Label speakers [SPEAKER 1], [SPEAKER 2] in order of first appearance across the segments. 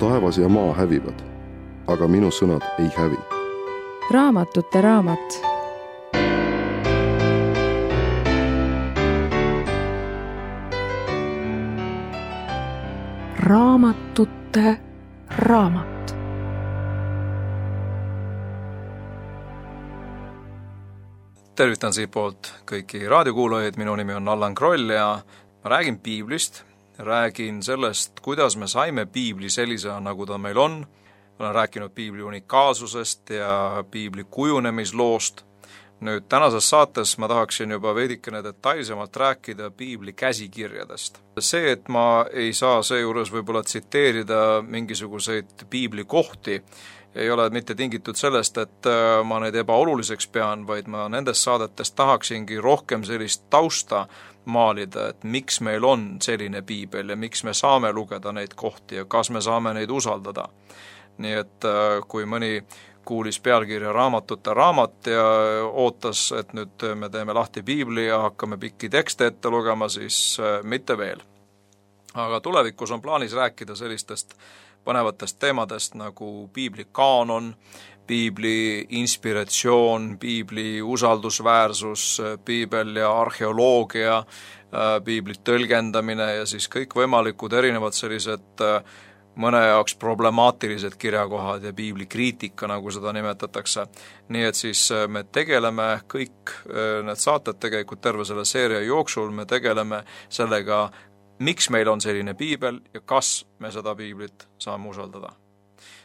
[SPEAKER 1] taevas ja maa hävivad, aga minu sõnad ei hävi.
[SPEAKER 2] Raamatute raamat.
[SPEAKER 3] Raamatute raamat.
[SPEAKER 4] Tervitan siit poolt kõiki raadiokuulajaid, minu nimi on Allan Kroll ja ma räägin piiblist, räägin sellest, kuidas me saime piibli sellisena, nagu ta meil on. Olen rääkinud piibli unikaalsusest ja piibli kujunemisloost. Nüüd tänases saates ma tahaksin juba veidikene detailsemalt rääkida piibli käsikirjadest. See, et ma ei saa seejuures võib-olla tsiteerida mingisuguseid piibli kohti, ei ole mitte tingitud sellest, et ma neid ebaoluliseks pean, vaid ma nendest saadetest tahaksingi rohkem sellist tausta maalida, et miks meil on selline piibel ja miks me saame lugeda neid kohti ja kas me saame neid usaldada. Nii et kui mõni kuulis pealkirja Raamatute raamat ja ootas, et nüüd me teeme lahti piibli ja hakkame pikki tekste ette lugema, siis mitte veel. Aga tulevikus on plaanis rääkida sellistest põnevatest teemadest nagu piibli kaanon, piibli inspiratsioon, piibli usaldusväärsus, piibel ja arheoloogia, piibli tõlgendamine ja siis kõik võimalikud erinevad sellised mõne jaoks problemaatilised kirjakohad ja piibli kriitika, nagu seda nimetatakse. Nii et siis me tegeleme kõik need saated tegelikult terve selle seeria jooksul, me tegeleme sellega, miks meil on selline piibel ja kas me seda piiblit saame usaldada.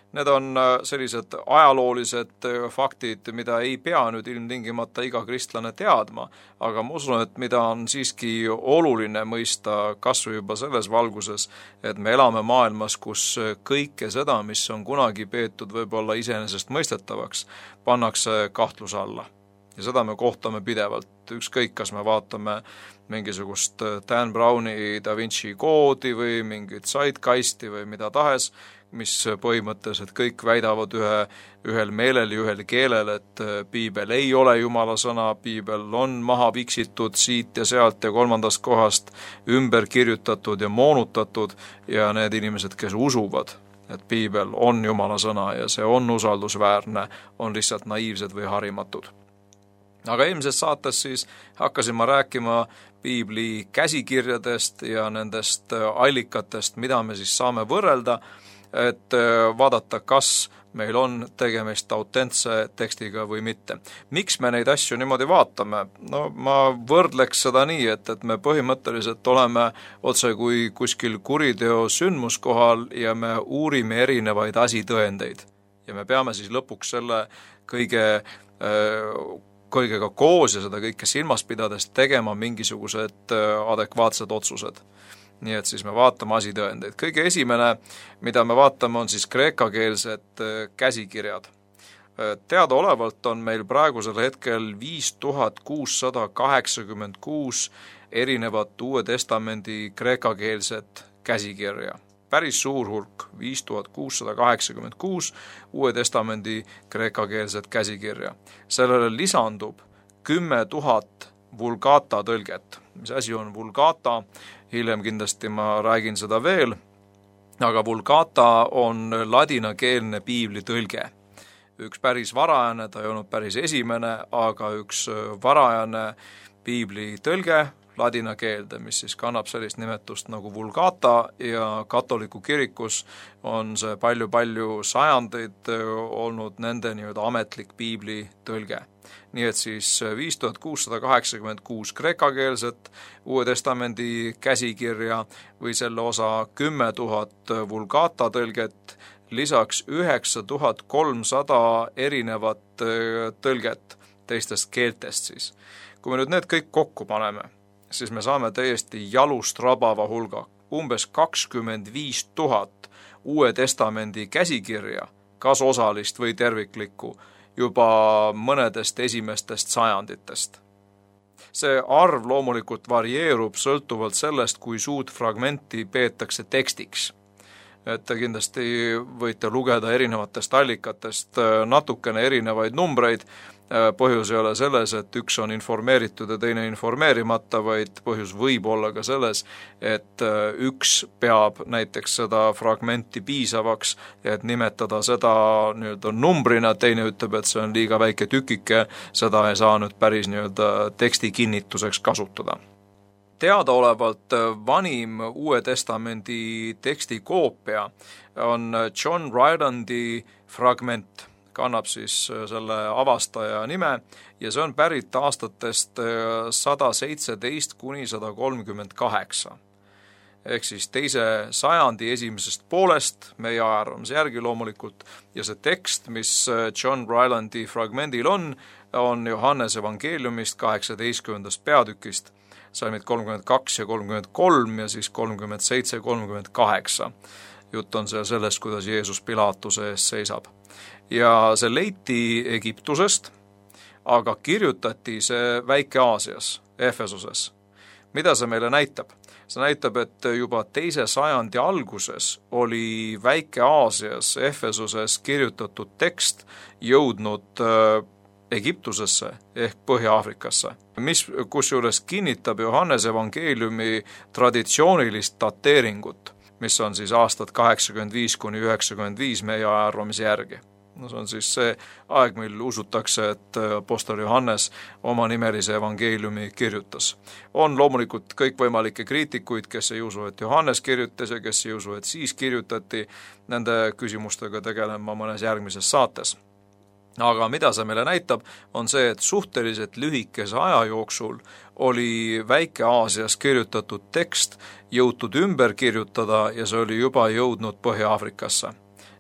[SPEAKER 4] Need on sellised ajaloolised faktid, mida ei pea nüüd ilmtingimata iga kristlane teadma, aga ma usun, et mida on siiski oluline mõista kasvõi juba selles valguses, et me elame maailmas, kus kõike seda, mis on kunagi peetud võib-olla iseenesest mõistetavaks, pannakse kahtluse alla. Ja seda me kohtame pidevalt, ükskõik kas me vaatame mingisugust Dan Browni Da Vinci koodi või mingit sidekasti või mida tahes, mis põhimõtteliselt kõik väidavad ühel meelel ja ühel keelel, et piibel ei ole Jumala sõna, piibel on maha viksitud siit ja sealt ja kolmandast kohast ümber kirjutatud ja moonutatud ja need inimesed, kes usuvad, et piibel on Jumala sõna ja see on usaldusväärne, on lihtsalt naiivsed või harimatud. Aga eelmises saates siis hakkasin ma rääkima piibli käsikirjadest ja nendest allikatest, mida me siis saame võrrelda, et vaadata, kas meil on tegemist autentse tekstiga või mitte. Miks me neid asju niimoodi vaatame? No ma võrdleks seda nii, et me põhimõtteliselt oleme otse kui kuskil kuriteo sündmuskohal ja me uurime erinevaid asitõendeid. Ja me peame siis lõpuks selle kõigega koos ja seda kõike silmas pidades tegema mingisugused adekvaatsed otsused. Nii et siis me vaatame asitõendeid. Kõige esimene, mida me vaatame, on siis kreekakeelsed käsikirjad. Teadaolevalt on meil praegusel hetkel 5686 erinevat Uue Testamendi kreekakeelset käsikirja. Päris suur hulk, 5686 Uue Testamendi kreekakeelset käsikirja. Sellele lisandub 10 000 vulgata tõlget. Mis asi on vulgata? Hiljem kindlasti ma räägin seda veel, aga vulgata on ladinakeelne piibli tõlge. Üks päris varajane, ta ei olnud päris esimene, aga üks varajane piibli tõlge ladina keelde, mis siis kannab sellist nimetust nagu vulgata ja katoliku kirikus on see palju sajandeid olnud nende nii-öelda ametlik piibli tõlge. Nii et siis 5686 kreekakeelset Uue Testamendi käsikirja või selle osa 10 000 vulgata tõlget, lisaks 9300 erinevat tõlget teistest keeltest siis. Kui me nüüd need kõik kokku paneme, siis me saame täiesti jalust rabava hulga, umbes 25 000 Uue Testamendi käsikirja, kas osalist või terviklikku, juba mõnedest esimestest sajanditest. See arv loomulikult varieerub sõltuvalt sellest, kui suurt fragmenti peetakse tekstiks. Et te kindlasti võite lugeda erinevatest allikatest natukene erinevaid numbreid, põhjus ei ole selles, et üks on informeeritud ja teine informeerimata, vaid põhjus võib olla ka selles, et üks peab näiteks seda fragmenti piisavaks, et nimetada seda nii-öelda numbrina, teine ütleb, et see on liiga väike tükike, seda ei saa nüüd päris nii-öelda teksti kinnituseks kasutada. Teadaolevalt vanim Uue Testamendi teksti koopia on John Rylandi fragment, kannab siis selle avastaja nime ja see on pärit aastatest 117 kuni 138. Ehk siis teise sajandi esimesest poolest, meie ajaarvamise järgi loomulikult, ja see tekst, mis John Rylandi fragmendil on Johannese evangeeliumist 18. peatükist, salmid 32 ja 33 ja siis 37 ja 38. Jutt on seal sellest, kuidas Jeesus Pilaatuse ees seisab. Ja see leiti Egiptusest, aga kirjutati see Väike-Aasias, Efesoses. Mida see meile näitab? See näitab, et juba teise sajandi alguses oli Väike-Aasias, Efesoses kirjutatud tekst jõudnud Egiptusesse ehk Põhja-Aafrikasse, mis kusjuures kinnitab Johannese evangeeliumi traditsioonilist dateeringut, mis on siis aastad 85 kuni 95 meie ajaarvamise järgi. No see on siis see aeg, mil usutakse, et apostel Johannes oma nimelise evangeeliumi kirjutas. On loomulikult kõikvõimalikke kriitikuid, kes ei usu, et Johannes kirjutas ja kes ei usu, et siis kirjutati. Nende küsimustega tegelema mõnes järgmises saates. Aga mida see meile näitab, on see, et suhteliselt lühikese aja jooksul oli Väike-Aasias kirjutatud tekst jõutud ümber kirjutada ja see oli juba jõudnud Põhja-Aafrikasse.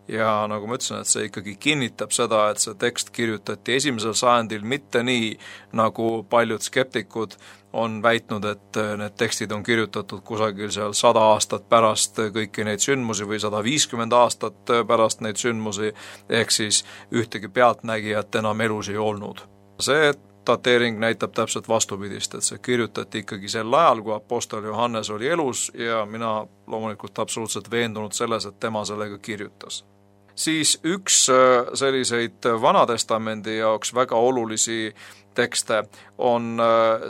[SPEAKER 4] Ja nagu ma ütlesin, et see ikkagi kinnitab seda, et see tekst kirjutati esimesel sajandil mitte nii, nagu paljud skeptikud on väitnud, et need tekstid on kirjutatud kusagil seal 100 aastat pärast kõiki neid sündmusi või 150 aastat pärast neid sündmusi, ehk siis ühtegi pealtnägijat enam elus ei olnud. See dateering näitab täpselt vastupidist, et see kirjutati ikkagi sel ajal, kui apostel Johannes oli elus ja mina loomulikult absoluutselt veendunud selles, et tema sellega kirjutas. Siis üks selliseid Vanatestamendi jaoks väga olulisi tekste on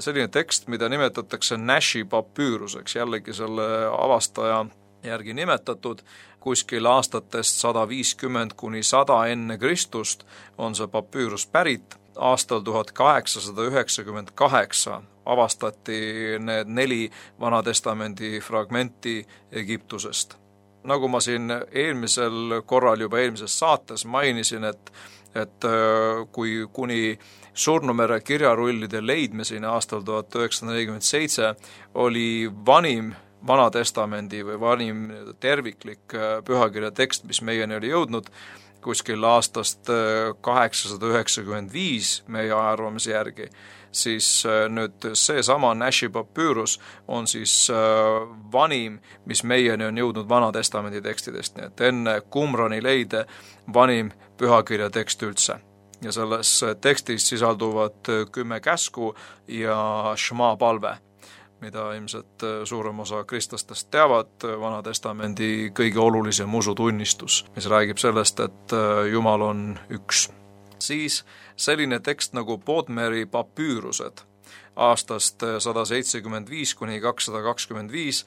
[SPEAKER 4] selline tekst, mida nimetatakse Nashi papüüruseks, jällegi selle avastaja järgi nimetatud, kuskil aastatest 150 kuni 100 enne Kristust on see papüürus pärit. Aastal 1898 avastati need 4 Vanatestamendi fragmenti Egiptusest. Nagu ma siin eelmisel korral juba eelmises saates mainisin, et kui kuni Surnumere kirjarullide leidmiseni aastal 1947 oli vanim Vanatestamendi või vanim terviklik pühakirja tekst, mis meieni oli jõudnud, kuskil aastast 895 meie ajaarvamise järgi, siis nüüd seesama Nashi papüürus on siis vanim, mis meieni on jõudnud Vanatestamendi tekstidest, nii et enne Qumrani leide vanim pühakirja tekst üldse. Ja selles tekstis sisalduvad 10 käsku ja Shema palve, mida ilmselt suurem osa kristlastest teavad, Vanatestamendi kõige olulisem usutunnistus, mis räägib sellest, et Jumal on üks. Siis selline tekst nagu Bodmeri papüürused aastast 175 kuni 225,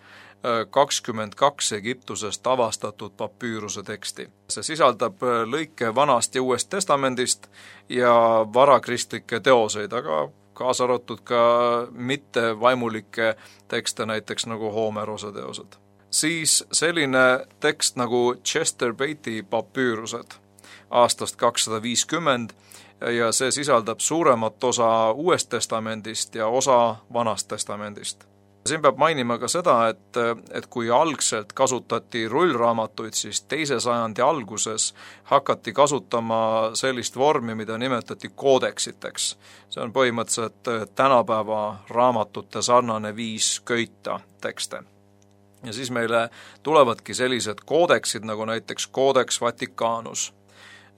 [SPEAKER 4] 22 Egiptusest avastatud papüüruse teksti. See sisaldab lõike Vanast ja Uuest Testamendist ja varakristlikke teoseid, aga kaasa arvatud ka mitte vaimulikke tekste, näiteks nagu Homerose teosed. Siis selline tekst nagu Chester Beatty papüürused aastast 250 ja see sisaldab suuremat osa Uuest Testamendist ja osa Vanast Testamendist. Siin peab mainima ka seda, et kui algselt kasutati rullraamatuid, siis teise sajandi alguses hakati kasutama sellist vormi, mida nimetati koodeksiteks. See on põhimõtteliselt tänapäeva raamatute sarnane viis köita tekste. Ja siis meile tulevadki sellised koodeksid, nagu näiteks Codex Vaticanus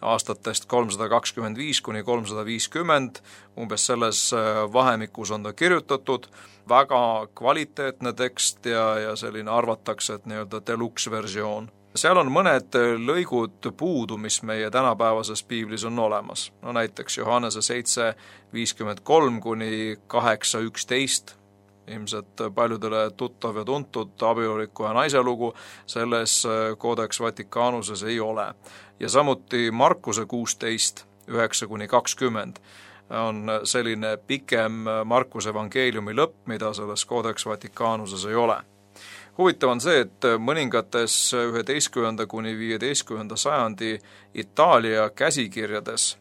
[SPEAKER 4] aastatest 325 kuni 350, umbes selles vahemikus on ta kirjutatud, väga kvaliteetne tekst ja selline arvatakse, et nii-öelda deluxe versioon. Seal on mõned lõigud puudu, mis meie tänapäevases piiblis on olemas. No näiteks Johannese 7:53 kuni 8:11, ilmselt paljudele tuttav ja tuntud abieluriku ja naise lugu, selles Codex Vaticanuses ei ole. Ja samuti Markuse 16:9 kuni 20 on selline pikem Markuse evangeeliumi lõpp, mida selles Codex Vaticanuses ei ole. Huvitav on see, et mõningates 11. kuni 15. sajandi Itaalia käsikirjades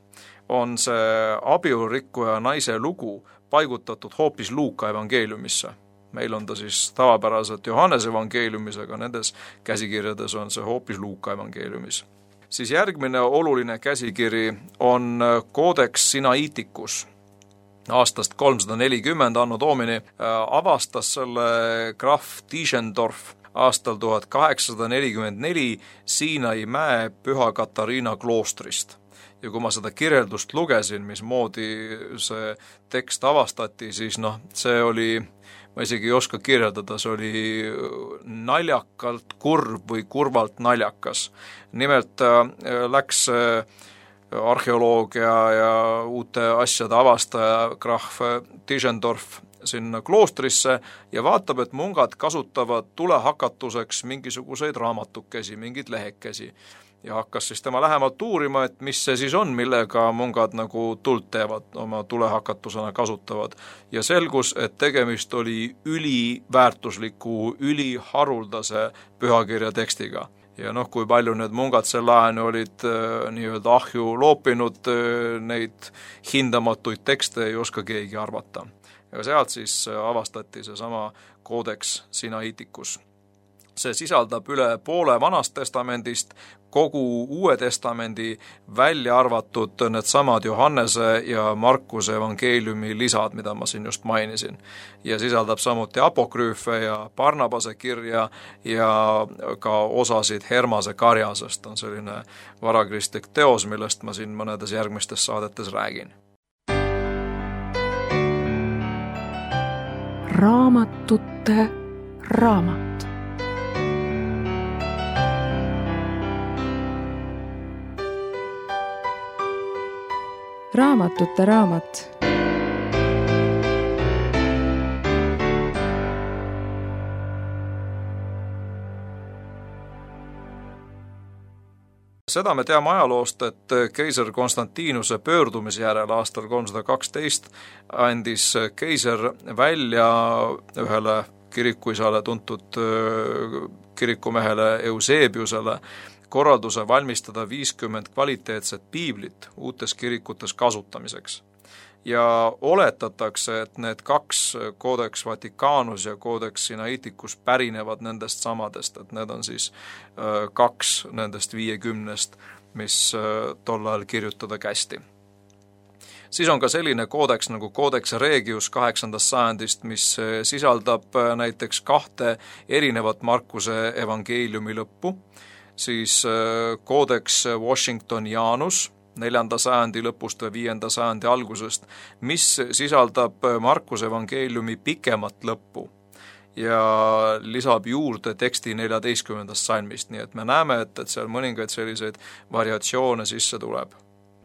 [SPEAKER 4] on see abielurikku ja naise lugu paigutatud hoopis Luuka evangeeliumisse. Meil on ta siis tavapäraselt Johannese evangeeliumis, aga nendes käsikirjades on see hoopis Luuka evangeeliumis. Siis järgmine oluline käsikiri on Codex Sinaiticus. Aastast 340 anno Domini avastas selle krahv Tischendorf aastal 1844 Siinai mäe Püha Katariina kloostrist. Ja kui ma seda kirjeldust lugesin, mismoodi see tekst avastati, siis see oli, ma isegi ei oska kirjeldada, see oli naljakalt kurb või kurvalt naljakas. Nimelt läks arheoloogia ja uute asjade avastaja krahv Tischendorf sinna kloostrisse ja vaatab, et mungad kasutavad tulehakatuseks mingisuguseid raamatukesi, mingeid lehekesi. Ja hakkas siis tema lähemalt uurima, et mis see siis on, millega mungad nagu tuld teevad, oma tulehakatusena kasutavad. Ja selgus, et tegemist oli üliväärtusliku, üliharuldase pühakirja tekstiga. Ja kui palju need mungad sel ajani olid nii-öelda ahju loopinud, neid hindamatuid tekste ei oska keegi arvata. Ja sealt siis avastati seesama Codex Sinaiticus. See sisaldab üle poole Vanast testamendist, kogu Uue testamendi, välja arvatud needsamad Johannese ja Markuse evangeeliumi lisad, mida ma siin just mainisin. Ja sisaldab samuti apokrüüfe ja Barnabase kirja ja ka osasid Hermase karjasest. On selline varakristlik teos, millest ma siin mõnedes järgmistes saadetes räägin.
[SPEAKER 3] Raamatute raamat.
[SPEAKER 2] Raamatute raamat.
[SPEAKER 4] Seda me teame ajaloost, et keiser Konstantinuse pöördumise järel aastal 312 andis keiser välja ühele kirikuisale tuntud kirikumehele Eusebiusele korralduse valmistada 50 kvaliteetset piiblit uutes kirikutes kasutamiseks. Ja oletatakse, et need 2 Codex Vaticanus ja Codex Sinaiticus pärinevad nendest samadest, et need on siis 2 nendest 50, mis tol ajal kirjutada kästi. Siis on ka selline koodeks nagu Codex Regius 8. sajandist, mis sisaldab näiteks 2 erinevat Markuse evangeeliumi lõppu, siis Codex Washingtonianus 4. sajandi lõpust ja 5. sajandi algusest, mis sisaldab Markuse evangeeliumi pikemat lõppu ja lisab juurde teksti 14. salmist, nii et me näeme, et seal mõningaid selliseid variatsioone sisse tuleb.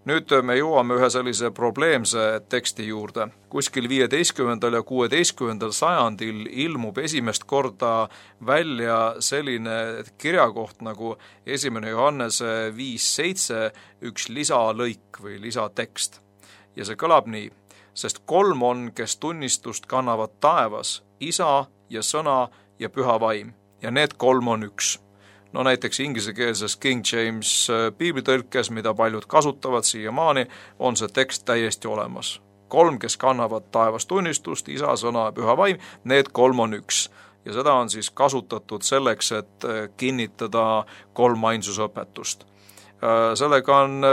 [SPEAKER 4] Nüüd me jõuame ühe sellise probleemse teksti juurde. Kuskil 15. ja 16. sajandil ilmub esimest korda välja selline kirjakoht nagu 1. Johannese 5:7, üks lisalõik või lisatekst. Ja see kõlab nii: sest 3 on, kes tunnistust kannavad taevas, Isa ja Sõna ja Püha Vaim, ja need 3 on üks. No näiteks ingliskeelses King James piiblitõlkes, mida paljud kasutavad siiamaani, on see tekst täiesti olemas. 3, kes kannavad taevas tunnistust, Isa, Sõna ja Püha Vaim, need 3 on üks. Ja seda on siis kasutatud selleks, et kinnitada kolmainsusõpetust. Sellega on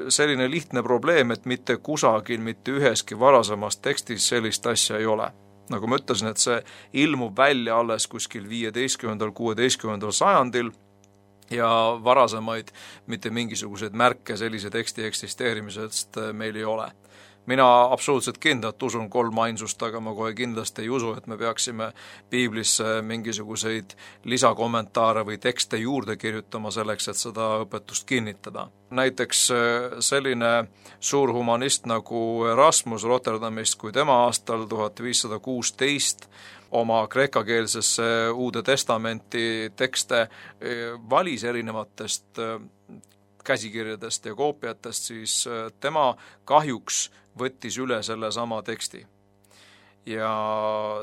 [SPEAKER 4] selline lihtne probleem, et mitte kusagil, mitte üheski varasemas tekstis sellist asja ei ole. Nagu ma ütlesin, et see ilmub välja alles kuskil 15. 16. sajandil ja varasemaid mitte mingisuguseid märke sellise teksti eksisteerimisest meil ei ole. mina absoluutselt kindlalt usun 3 ainsust, aga ma kohe kindlasti ei usu, et me peaksime piiblisse mingisuguseid lisakommentaare või tekste juurde kirjutama selleks, et seda õpetust kinnitada. Näiteks selline suur humanist nagu Erasmus Rotterdamist, kui tema aastal 1516 oma kreekakeelsesse Uude Testamenti tekste valis erinevatest käsikirjadest ja koopiatest, siis tema kahjuks võttis üle selle sama teksti. Ja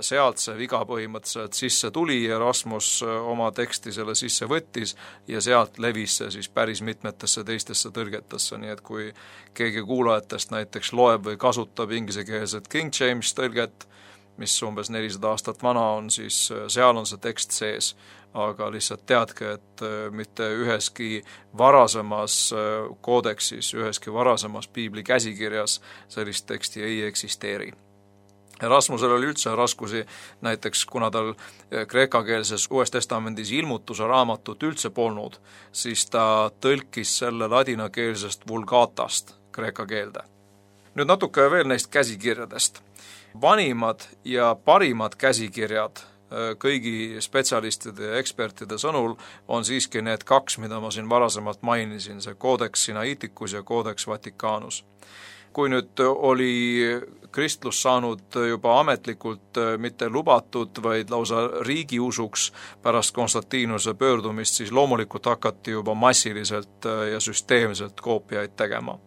[SPEAKER 4] sealt see viga põhimõtteliselt sisse tuli, Erasmus oma teksti selle sisse võttis ja sealt levis see siis päris mitmetesse teistesse tõlgetesse, nii et kui keegi kuulajatest näiteks loeb või kasutab inglisekeelset King James tõlget, mis umbes 400 aastat vana on, siis seal on see tekst sees, aga lihtsalt teadke, et mitte üheski varasemas koodeksis, üheski varasemas piibli käsikirjas sellist teksti ei eksisteeri. Erasmusel oli üldse raskusi, näiteks kuna tal kreekakeelses Uues Testamendis ilmutuse raamatut üldse polnud, siis ta tõlkis selle ladinakeelsest vulgatast kreeka keelde. Nüüd natuke veel neist käsikirjadest. Vanimad ja parimad käsikirjad kõigi spetsialistide ja ekspertide sõnul on siiski need 2, mida ma siin varasemalt mainisin, see Codex Sinaiticus ja Codex Vaticanus. Kui nüüd oli kristlus saanud juba ametlikult mitte lubatud, vaid lausa riigiusuks pärast Konstantinuse pöördumist, siis loomulikult hakati juba massiliselt ja süsteemselt koopiaid tegema.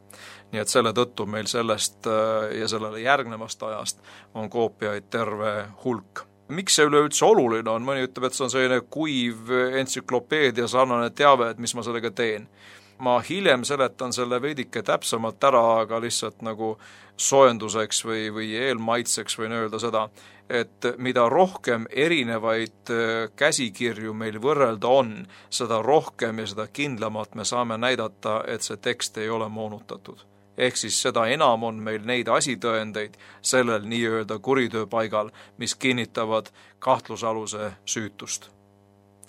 [SPEAKER 4] Nii et selle tõttu meil sellest ja sellele järgnevast ajast on koopiaid terve hulk. Miks see üleüldse oluline on? Mõni ütleb, et see on selline kuiv entsüklopeedia sarnane teave, et mis ma sellega teen. Ma hiljem seletan selle veidike täpsemalt ära, aga lihtsalt nagu soojenduseks või eelmaitseks võin öelda seda, et mida rohkem erinevaid käsikirju meil võrrelda on, seda rohkem ja seda kindlamalt me saame näidata, et see tekst ei ole moonutatud. Ehk siis seda enam on meil neid asitõendeid sellel nii-öelda kuritööpaigal, mis kinnitavad kahtlusaluse süütust.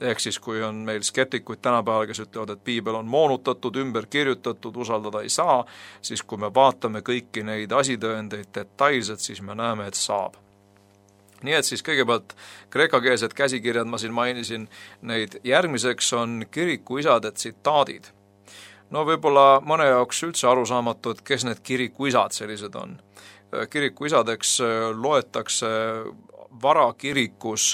[SPEAKER 4] Ehk siis, kui on meil skeptikuid tänapäeval, kes ütlevad, et piibel on moonutatud, ümber kirjutatud, usaldada ei saa, siis kui me vaatame kõiki neid asitõendeid detailselt, siis me näeme, et saab. Nii et siis kõigepealt kreekakeelsed käsikirjad ma siin mainisin, neid järgmiseks on kirikuisade tsitaadid. No võib-olla mõne jaoks üldse arusaamatu, et kes need kirikuisad sellised on. Kirikuisadeks loetakse varakirikus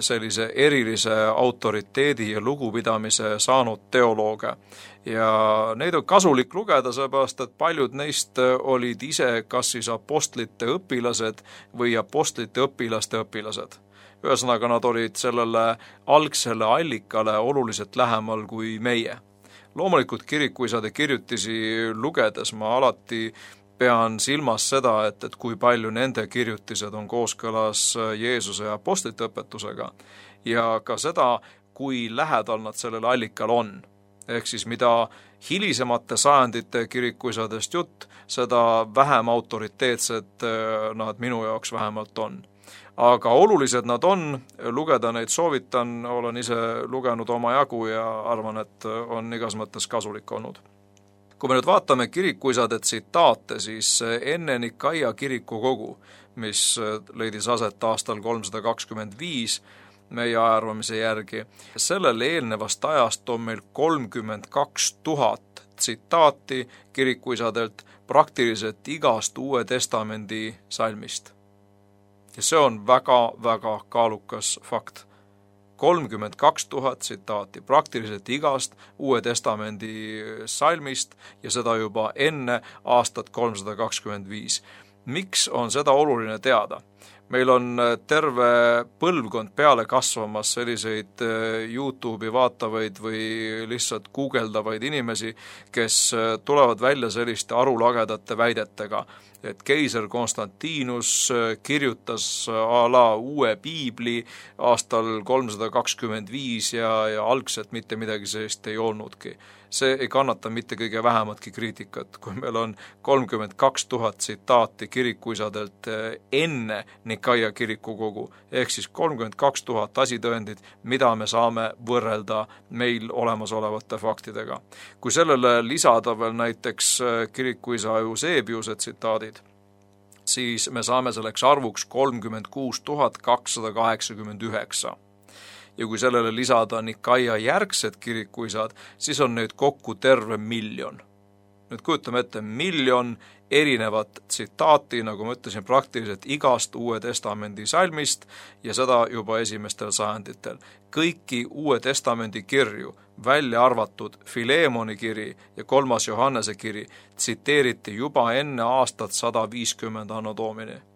[SPEAKER 4] sellise erilise autoriteedi ja lugupidamise saanud teolooge. Ja neid on kasulik lugeda, seepärast, et paljud neist olid ise kas siis apostlite õpilased või apostlite õpilaste õpilased. Ühesõnaga, nad olid sellele algsele allikale oluliselt lähemal kui meie. Loomulikult kirikuisade kirjutisi lugedes ma alati pean silmas seda, et kui palju nende kirjutised on kooskõlas Jeesuse ja apostlite õpetusega ja ka seda, kui lähedal nad sellele allikal on. Ehk siis mida hilisemate sajandite kirikuisadest jutt, seda vähem autoriteetsed nad minu jaoks vähemalt on. Aga olulised nad on, lugeda neid soovitan, olen ise lugenud oma jagu ja arvan, et on igas mõttes kasulik olnud. Kui me nüüd vaatame kirikuisade tsitaate, siis enne Nikaia kirikukogu, mis leidis aset aastal 325 meie ajaarvamise järgi, sellele eelnevast ajast on meil 32 000 tsitaati kirikuisadelt praktiliselt igast Uue Testamendi salmist. Ja see on väga kaalukas fakt. 32 000 tsitaati praktiliselt igast Uue Testamendi salmist ja seda juba enne aastat 325. Miks on seda oluline teada? Meil on terve põlvkond peale kasvamas selliseid YouTube'i vaatavaid või lihtsalt guugeldavaid inimesi, kes tulevad välja selliste arulagedate väidetega, et keiser Konstantinus kirjutas a la uue piibli aastal 325 ja algselt mitte midagi sellist ei olnudki. See ei kannata mitte kõige vähematki kriitikat, kui meil on 32 000 tsitaati kirikuisadelt enne Nikaia kirikukogu, ehk siis 32 000 asitõendit, mida me saame võrrelda meil olemasolevate faktidega. Kui sellele lisada veel näiteks kirikuisa Eusebiuse tsitaadid, siis me saame selleks arvuks 36 289. Ja kui sellele lisada Nikaia järgsed kirikuisad, siis on neid kokku terve 1 000 000. Nüüd kujutame ette 1 000 000 erinevat tsitaati, nagu ma ütlesin, praktiliselt igast Uue Testamendi salmist ja seda juba esimestel sajanditel. Kõiki Uue Testamendi kirju, välja arvatud Filemoni kiri ja 3. Johannese kiri, tsiteeriti juba enne aastat 150 anno Domini.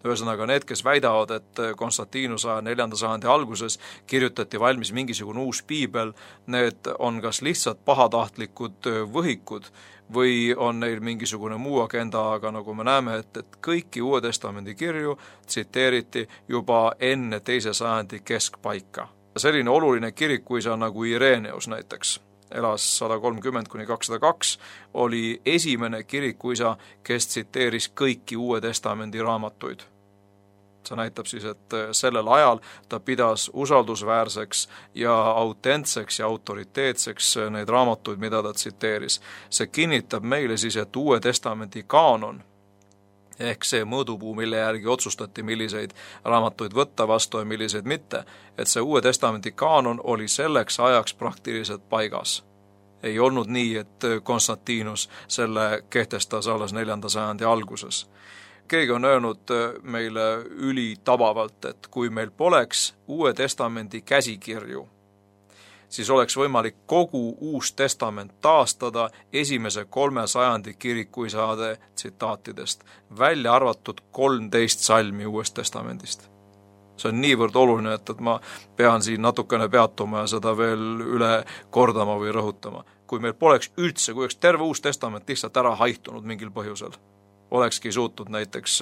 [SPEAKER 4] Ühesõnaga, need, kes väidavad, et Konstantinuse 4. sajandi alguses kirjutati valmis mingisugune uus piibel, need on kas lihtsalt pahatahtlikud võhikud või on neil mingisugune muu agenda, aga nagu me näeme, et kõiki Uue Testamendi kirju tsiteeriti juba enne 2. sajandi keskpaika. Selline oluline kirikuisa nagu Ireneus näiteks, elas 130–202, oli esimene kirikuisa, kes tsiteeris kõiki Uue Testamendi raamatuid. See näitab siis, et sellel ajal ta pidas usaldusväärseks ja autentseks ja autoriteetseks neid raamatuid, mida ta tsiteeris. See kinnitab meile siis, et Uue Testamendi kaanon, ehk see mõõdupuu, mille järgi otsustati, milliseid raamatuid võtta vastu ja milliseid mitte, et see Uue Testamendi kaanon oli selleks ajaks praktiliselt paigas. Ei olnud nii, et Konstantinus selle kehtestas alles 4. sajandi alguses. Keegi on öelnud meile ülitabavalt, et kui meil poleks Uue Testamendi käsikirju, siis oleks võimalik kogu Uus Testament taastada esimese 3 sajandi kirikuisade tsitaatidest, välja arvatud 13 salmi Uuest Testamendist. See on niivõrd oluline, et ma pean siin natukene peatuma ja seda veel üle kordama või rõhutama. Kui meil poleks üldse, kui oleks terve Uus Testament lihtsalt ära haihtunud mingil põhjusel, olekski suutnud näiteks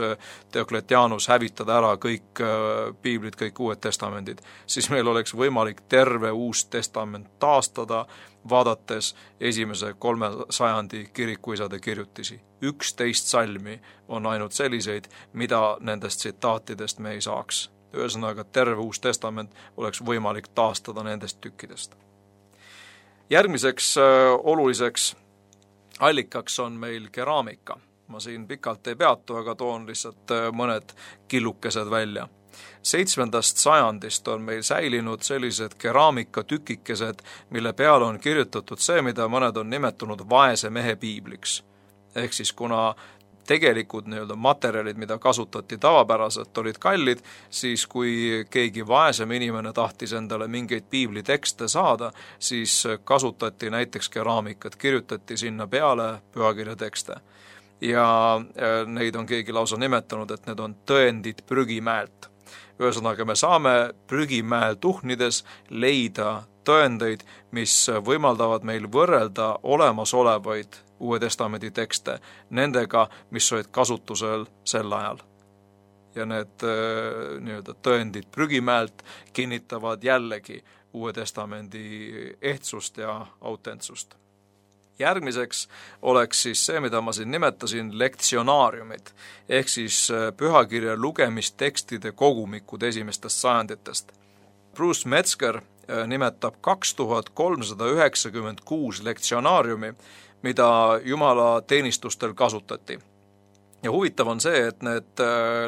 [SPEAKER 4] Diocletianus hävitada ära kõik piiblid, kõik Uued Testamendid, siis meil oleks võimalik terve Uus Testament taastada, vaadates esimese 3 sajandi kirikuisade kirjutisi. 11 salmi on ainult selliseid, mida nendest tsitaatidest me ei saaks. Ühesõnaga, terve Uus Testament oleks võimalik taastada nendest tükkidest. Järgmiseks oluliseks allikaks on meil keraamika. Ma siin pikalt ei peatu, aga toon lihtsalt mõned killukesed välja. 7. sajandist on meil säilinud sellised keraamikatükikesed, mille peale on kirjutatud see, mida mõned on nimetanud vaese mehe piibliks. Ehk siis kuna tegelikud materjalid, mida kasutati tavapäraselt, olid kallid, siis kui keegi vaesem inimene tahtis endale mingeid piiblitekste saada, siis kasutati näiteks keraamikat, kirjutati sinna peale pühakirja tekste. Ja neid on keegi lausa nimetanud, et need on tõendid prügimäelt. Ühesõnaga, me saame prügimäel tuhnides leida tõendeid, mis võimaldavad meil võrrelda olemasolevaid Uue Testamendi tekste nendega, mis olid kasutusel sel ajal. Ja need tõendid prügimäelt kinnitavad jällegi Uue Testamendi ehtsust ja autentsust. Järgmiseks oleks siis see, mida ma siin nimetasin, lektsionaariumid, ehk siis pühakirja lugemistekstide kogumikud esimestest sajanditest. Bruce Metzger nimetab 2396 lektsionaariumi, mida Jumala teenistustel kasutati. Ja huvitav on see, et need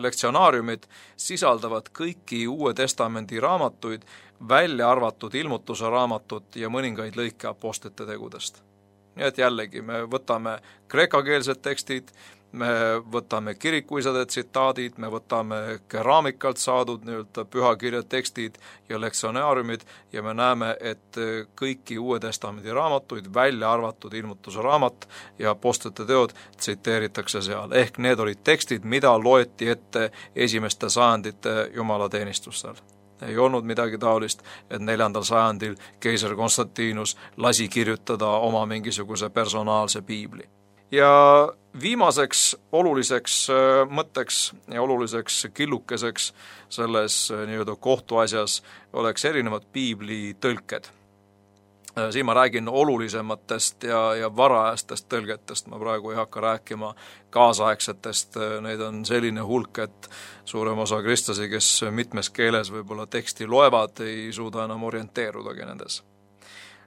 [SPEAKER 4] lektsionaariumid sisaldavad kõiki Uue Testamendi raamatuid, välja arvatud ilmutuse raamatut ja mõningaid lõike apostlite tegudest. Nii et jällegi, me võtame kreekakeelsed tekstid, me võtame kirikuisade tsitaadid, me võtame keraamikalt saadud pühakirja tekstid ja lektsionaariumid ja me näeme, et kõiki Uue Testamendi raamatuid, välja arvatud ilmutuse raamat ja apostlite teod tsiteeritakse seal. Ehk need olid tekstid, mida loeti ette esimeste sajandite jumalateenistustel. Ei olnud midagi taolist, et 4. sajandil keiser Konstantinus lasi kirjutada oma mingisuguse personaalse piibli. Ja viimaseks oluliseks mõtteks ja oluliseks killukeseks selles kohtuasjas oleks erinevad piibli tõlked. Siin ma räägin olulisematest ja varajastest tõlgetest, ma praegu ei hakka rääkima kaasaegsetest, neid on selline hulk, et suurem osa kristlasi, kes mitmes keeles võib-olla teksti loevad, ei suuda enam orienteerudagi nendes.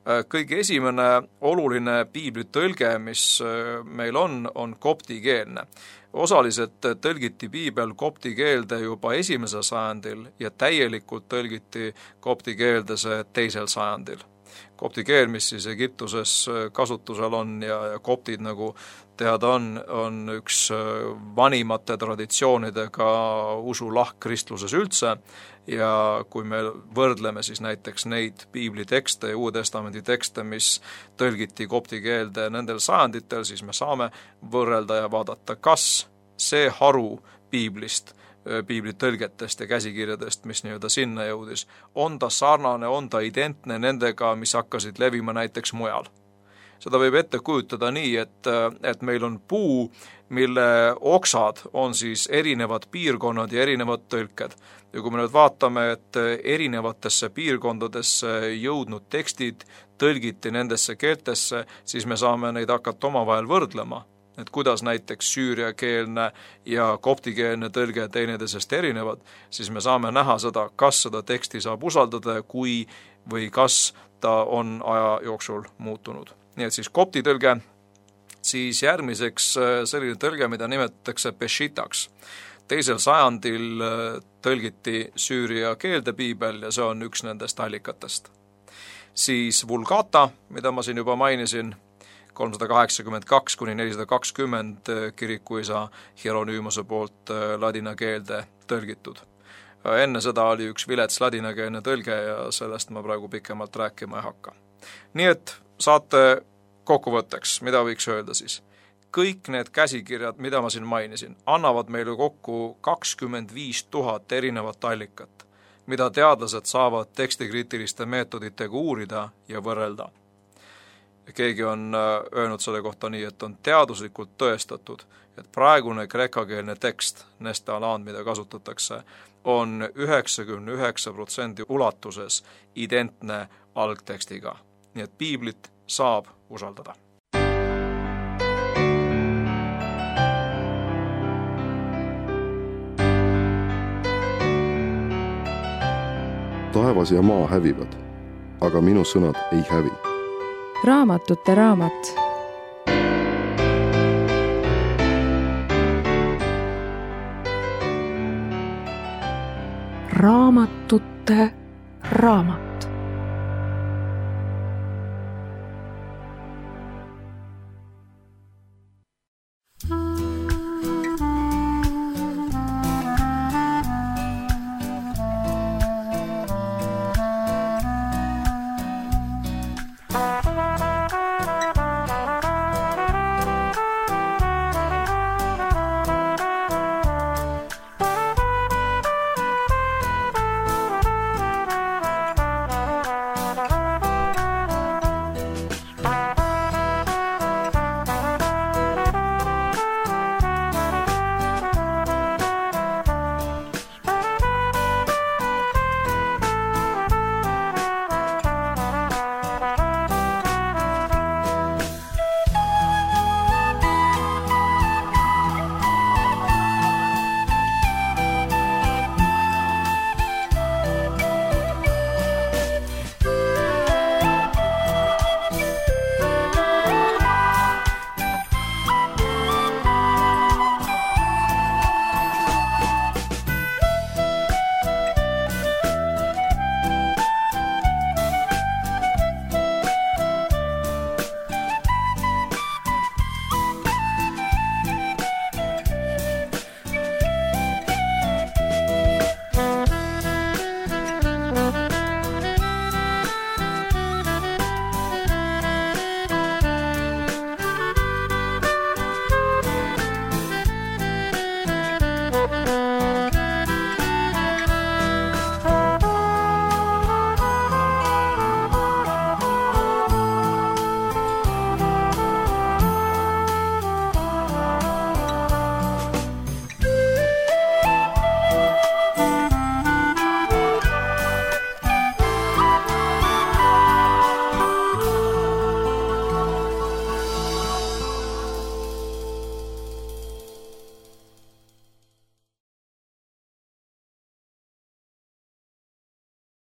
[SPEAKER 4] Kõige esimene oluline piiblitõlge, mis meil on koptikeelne. Osaliselt tõlgiti piibel kopti keelde juba 1. sajandil ja täielikult tõlgiti kopti keelde see 2. sajandil. Kopti keel, mis siis Egiptuses kasutusel on ja koptid, nagu teada on üks vanimate traditsioonidega usulahk kristluses üldse ja kui me võrdleme siis näiteks neid piiblitekste ja Uue Testamendi tekste, mis tõlgiti kopti keelde nendel sajanditel, siis me saame võrrelda ja vaadata, kas see haru piiblist, piiblitõlgetest ja käsikirjadest, mis nii-öelda sinna jõudis, on ta sarnane, on ta identne nendega, mis hakkasid levima näiteks mujal. Seda võib ette kujutada nii, et meil on puu, mille oksad on siis erinevad piirkonnad ja erinevad tõlked. Ja kui me nüüd vaatame, et erinevatesse piirkondadesse jõudnud tekstid tõlgiti nendesse keeltesse, siis me saame neid hakata omavahel võrdlema. Et kuidas näiteks süüriakeelne ja koptikeelne tõlge teineteisest erinevad, siis me saame näha seda, kas seda teksti saab usaldada või kas ta on aja jooksul muutunud. Nii et siis kopti tõlge, siis järgmiseks selline tõlge, mida nimetatakse peshitaks. 2. sajandil tõlgiti süüria keelde piibel ja see on üks nendest allikatest. Siis vulgata, mida ma siin juba mainisin, 382 kuni 420 kirikuisa Hieronymose poolt ladina keelde tõlgitud. Enne seda oli üks vilets ladinakeelne tõlge ja sellest ma praegu pikemalt rääkima ei hakka. Nii et saate kokkuvõtteks, mida võiks öelda siis? Kõik need käsikirjad, mida ma siin mainisin, annavad meile kokku 25 000 erinevat allikat, mida teadlased saavad tekstikriitiliste meetoditega uurida ja võrrelda. Keegi on öelnud selle kohta nii, et on teaduslikult tõestatud, et praegune kreekakeelne tekst, nestalaan, mida kasutatakse, on 99% ulatuses identne algtekstiga. Nii et piiblit saab usaldada.
[SPEAKER 1] Taevas ja maa hävivad, aga minu sõnad ei hävi.
[SPEAKER 2] Raamatute raamat.
[SPEAKER 3] Raamatute raamat.